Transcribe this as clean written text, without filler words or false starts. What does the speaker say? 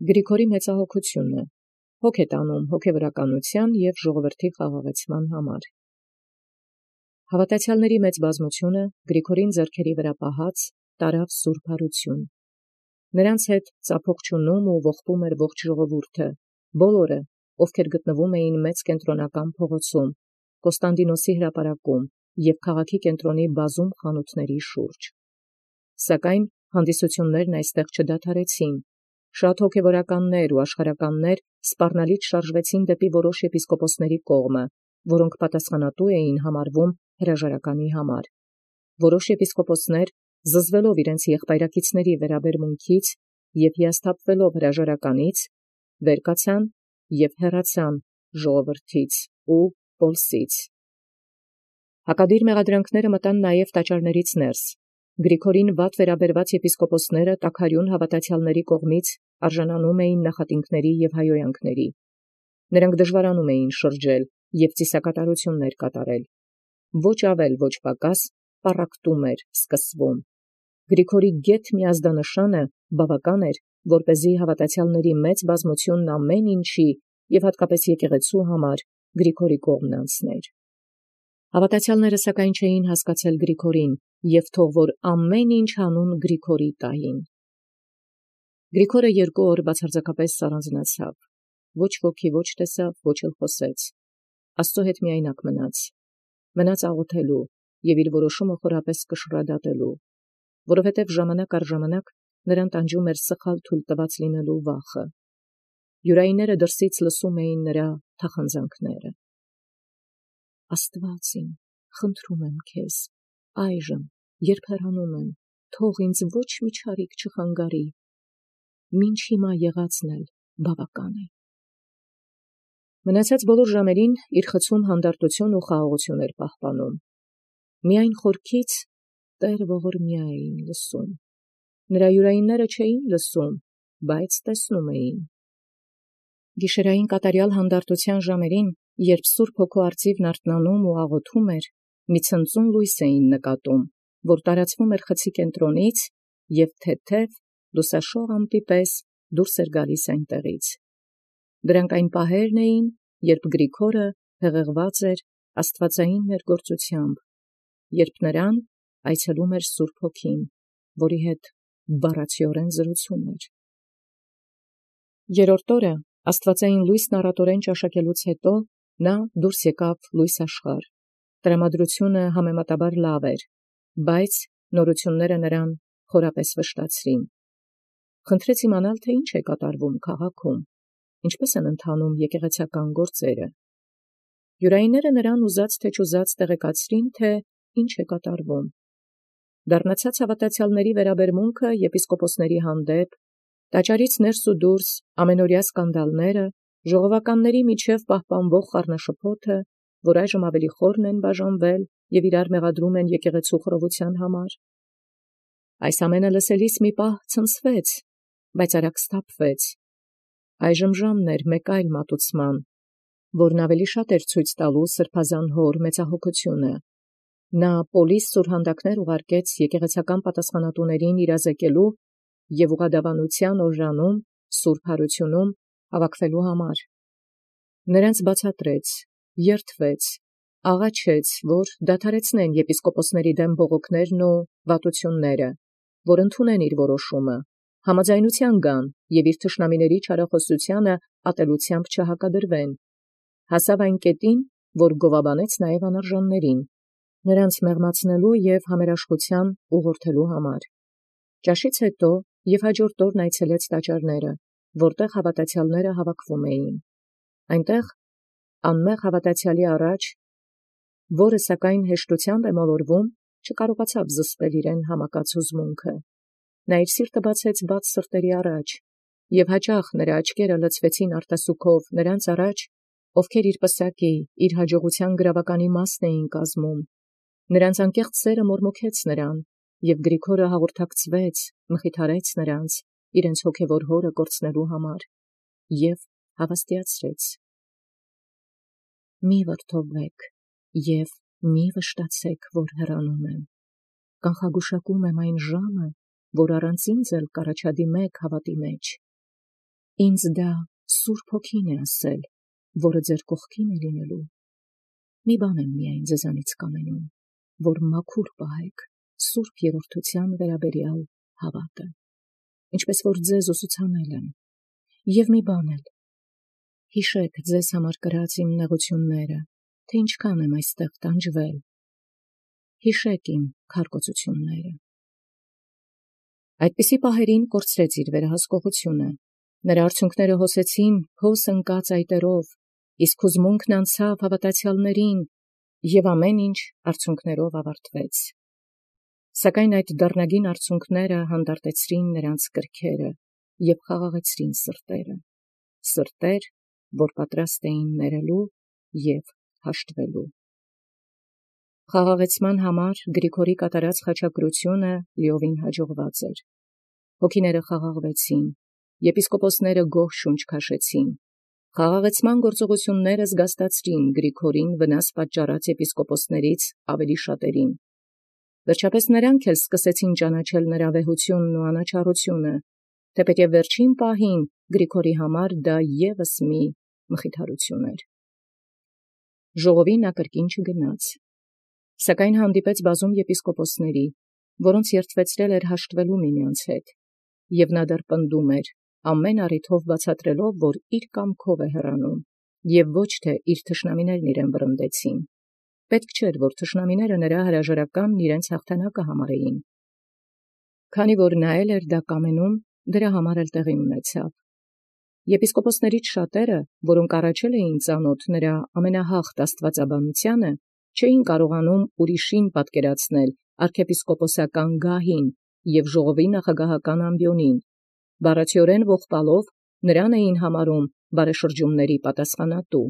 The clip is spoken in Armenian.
Գրիգորի մեծահոգությունը, հոգ է տանում հոգևորականության և ժողովրդի խաղաղեցման համար։ Հավատացյալների մեծ բազմությունը Գրիգորին ձեռքերի վրա պահած տարավ սուրբ հարություն։ Նրանց հետ ծափող չունում ու ողբում էր ողջ ժողովուրդը, բոլորը, ովքեր գտնվում էին մեծ կենտրոնական փողոցում, Կոստանդինոսի հրապարակում և քաղաքի կենտրոնի բազում խանութների շուրջ։ Սակայն հանդիսություններն այստեղ չդադարեցին։ Շատ հոգևորականներ ու աշխարհականներ սպառնալից շարժվեցին դեպի որոշ եպիսկոպոսների կողմը, որոնք պատասխանատու էին համարվում հրաժարականի համար։ Որոշ եպիսկոպոսներ, զզվելով իրենց եղբայրակիցների վերաբերմունքից և հիասթափվելով հրաժարականից, վեր կացան և հեռացան ժողովրդից ու պոլսից։ Հակադիր մեղադրանքները մտան նաև տաճարներից ներս։ Գրիգորին վատ վերաբերված եպիսկոպոսները տաքարյուն հավատացյալների կողմից արժանանում էին նախատինքների և հայհոյանքների։ Նրանք դժվարանում էին շրջել և ծիսակատարություններ կատարել։ Ոչ ավել, ոչ պակաս պառակտում էր սկսվում։ Գրիգորի գեթ միազդանշանը բավական էր, որպեսզի հավատացյալների մեծ բազմությունն ամեն ինչի և հատկապես եկեղեցու համար Գրիգորի կողմն անցներ։ Հավատացյալները սակայն չէին հասկացել Գրիգորին և թող որ ամեն ինչ հանուն Գրիգորի տային։ Գրիգորը 2 օր բացարձակապես սառանձնացավ, ոչ ոքի ոչ տեսավ, ոչ էլ խոսեց, Աստծո հետ միայնակ մնաց աղոթելու և իր որոշումը խորապես կշռադատելու, որովհետև ժամանակ առ ժամանակ նրան տանջում էր սխալ թույլ տված լինելու վախը։ Յուրայինները դրսից լսում էին նրա թախանձանքները։ Աստված իմ, խնդրում եմ քեզ, այժմ, երբ հեռանում եմ, թող ինձ ոչ մի չարիք չխանգարի, մինչ հիմա եղածն էլ բավական է։ Մնացած բոլոր ժամերին իր խցում հանդարտություն ու խաղաղություն էր պահպանում։ Միայն խորքից Տերը ողորմյա էին լսում։ Նրա յուրայինները չէին լսում, բայց տեսնում էին։ Գիշերային կատարյալ հանդարտության ժամերին, երբ Սուրբ Հոգու արծիվն արթնանում ու աղոթում էր, մի ցնծուն լույս էին նկատում, որ տարածվում էր խցի կենտրոնից և թեթև լուսաշող ամպի պես դուրս էր գալիս այնտեղից։ Դրանք այն պահերն էին, երբ Գրիգորը հեղեղված էր աստվածային ներգործությամբ, երբ նրան այցելում էր Սուրբ Հոգին, որի հետ բառացիորեն զրուցում էր։ Երրորդ օրը աստվածային լույսն առատորեն ճաշակելուց հետո նա դուրս եկավ լույս աշխարհ։ Տրամադրությունը համեմատաբար լավ էր, բայց նորությունները նրան խորապես վշտացրին։ Խնդրեց իմանալ, թե ինչ է կատարվում քաղաքում, ինչպես են ընթանում եկեղեցական գործերը։ Յուրայինները նրան ուզած թե չուզած տեղեկացրին, թե ինչ է կատարվում։ Դառնացած հավատացյալների վերաբերմունքը եպիսկոպոսների հանդեպ, տաճարից ներս ու դուրս ամենօրյա սկանդալները, ժողովականների միջև պահպանվող խառնաշփոթը, որ այժմ ավելի խորն են բաժանվել և իրար մեղադրում են եկեղեցու խռովության համար։ Այս ամենը լսելիս մի պահ ցնցվեց, բայց արագ սթափվեց։ Այժմ ժամն էր մեկ այլ մատուցման, որն ավելի շատ էր ցույց տալու սրբազան հոր մեծահոգությունը։ Նա պոլիս սուրհանդակներ ուղարկեց եկեղեցական պատասխանատուներին իրազեկելու և ուղղադավանության օրրանում, սուրբ հարությունում հավաքվելու համար։ Նրանց բացատրեց, երդվեց, աղաչեց, որ դադարեցնեն եպիսկոպոսների դեմ բողոքներն ու վատությունները, որ ընդունեն իր որոշումը, համաձայնության գան և իր թշնամիների չարախոսությանը ատելությամբ չհակադրվեն։ Հասավ այն կետին, որ գովաբանեց նաև անարժաններին, նրանց մեղմացնելու և համերաշխության ուղղորդելու համար։ Ճաշից հետո և հաջորդ օրն այցելեց տաճարները, որտեղ հավատացյալները հավաքվում էին։ Այնտեղ անմեղ հավատացյալի առաջ, որը սակայն հեշտությամբ է մոլորվում, չկարողացավ զսպել իրեն համակած հուզմունքը։ Նա իր սիրտը բացեց բաց սրտերի առաջ, և հաճախ նրա աչքերը լցվեցին արտասուքով նրանց առաջ, ովքեր իր պսակի, իր հաջողության գրավականի մասն էին կազմում։ Նրանց անկեղծ սերը մորմոքեց նրան, և Գրիգորը հաղորդակցվեց, մխիթարեց նրանց, իրենց հոգևոր հորը կորցնելու համար, և հավաստիացրեց. «Մի վրդովվեք և մի վշտացեք, որ հեռանում եմ. կանխագուշակում եմ այն ժամը, որ առանց ինձ էլ կառաջադիմեք հավատի մեջ»։ Ինձ դա Սուրբ Հոգին է ասել, որը ձեր կողքին է լինելու։ Մի բան եմ միայն ձեզանից կամենում, որ մաքուր պահեք Սուրբ Երրորդության վերաբերյալ հավատը, ինչպես որ ձեզ ուսուցանել եմ, և մի բան էլ, հիշեք ձեզ համար կրած իմ նեղությունները, թե ինչքան եմ այստեղ տանջվել, հիշեք իմ քարկոծությունները։ Այդպիսի պահերին կորցրեց իր վերահսկողությունը, նրա արցունքները հոսեցին հոս ընկած այտերով, իսկ հուզմունքն անցավ հավատացյալներին, և ամեն ինչ արցունքներով ավարտվեց։ Սակայն այդ դառնագին արցունքները հանդարտեցրին նրանց կրքերը և խաղաղեցրին սրտերը, սրտեր, որ պատրաստ էին ներելու և հաշտվելու։ Խաղաղեցման համար Գրիգորի կատարած խաչակրությունը լիովին հաջողված էր։ Հոգիները խաղաղվեցին, եպիսկոպոսները գոհ շունչ քաշեցին։ Խաղաղեցման գործողությունները զգաստացրին Գրիգորին վնաս պատճառած եպիսկոպոսներից ավելի շատերին։ Վերջապես նրանք էլ սկսեցին ճանաչել նրա վեհությունն ու անաչառությունը, թեպետև վերջին պահին Գրիգորի համար դա ևս մի մխիթարություն էր։ Ժողովին նա կրկին չգնաց, սակայն հանդիպեց բազում եպիսկոպոսների, որոնց երդվեցրել էր հաշտվելու միմյանց հետ, և նա դեռ պնդում էր, ամեն առիթով բացատրելով, որ իր կամքով է հեռանում, և ոչ թե իր թշնամիներն իրեն վռնդեցին։ Պետք չէր, որ թշնամիները նրա հրաժարականն իրենց հաղթանակը համարեին։ Քանի որ նա էլ էր դա կամենում, դրա համար էլ տեղի ունեցավ։ Եպիսկոպոսներից շատերը, որոնք առաջել էին ծանոթ նրա ամենահաղթ աստվածաբանությանը, չէին կարողանում ուրիշին պատկերացնել arczepiskoposական գահին և ժողովի նախագահական ամբիոնին, բառացիորեն ողբալով նրան էին համարում բարեշրջումների պատասխանատու։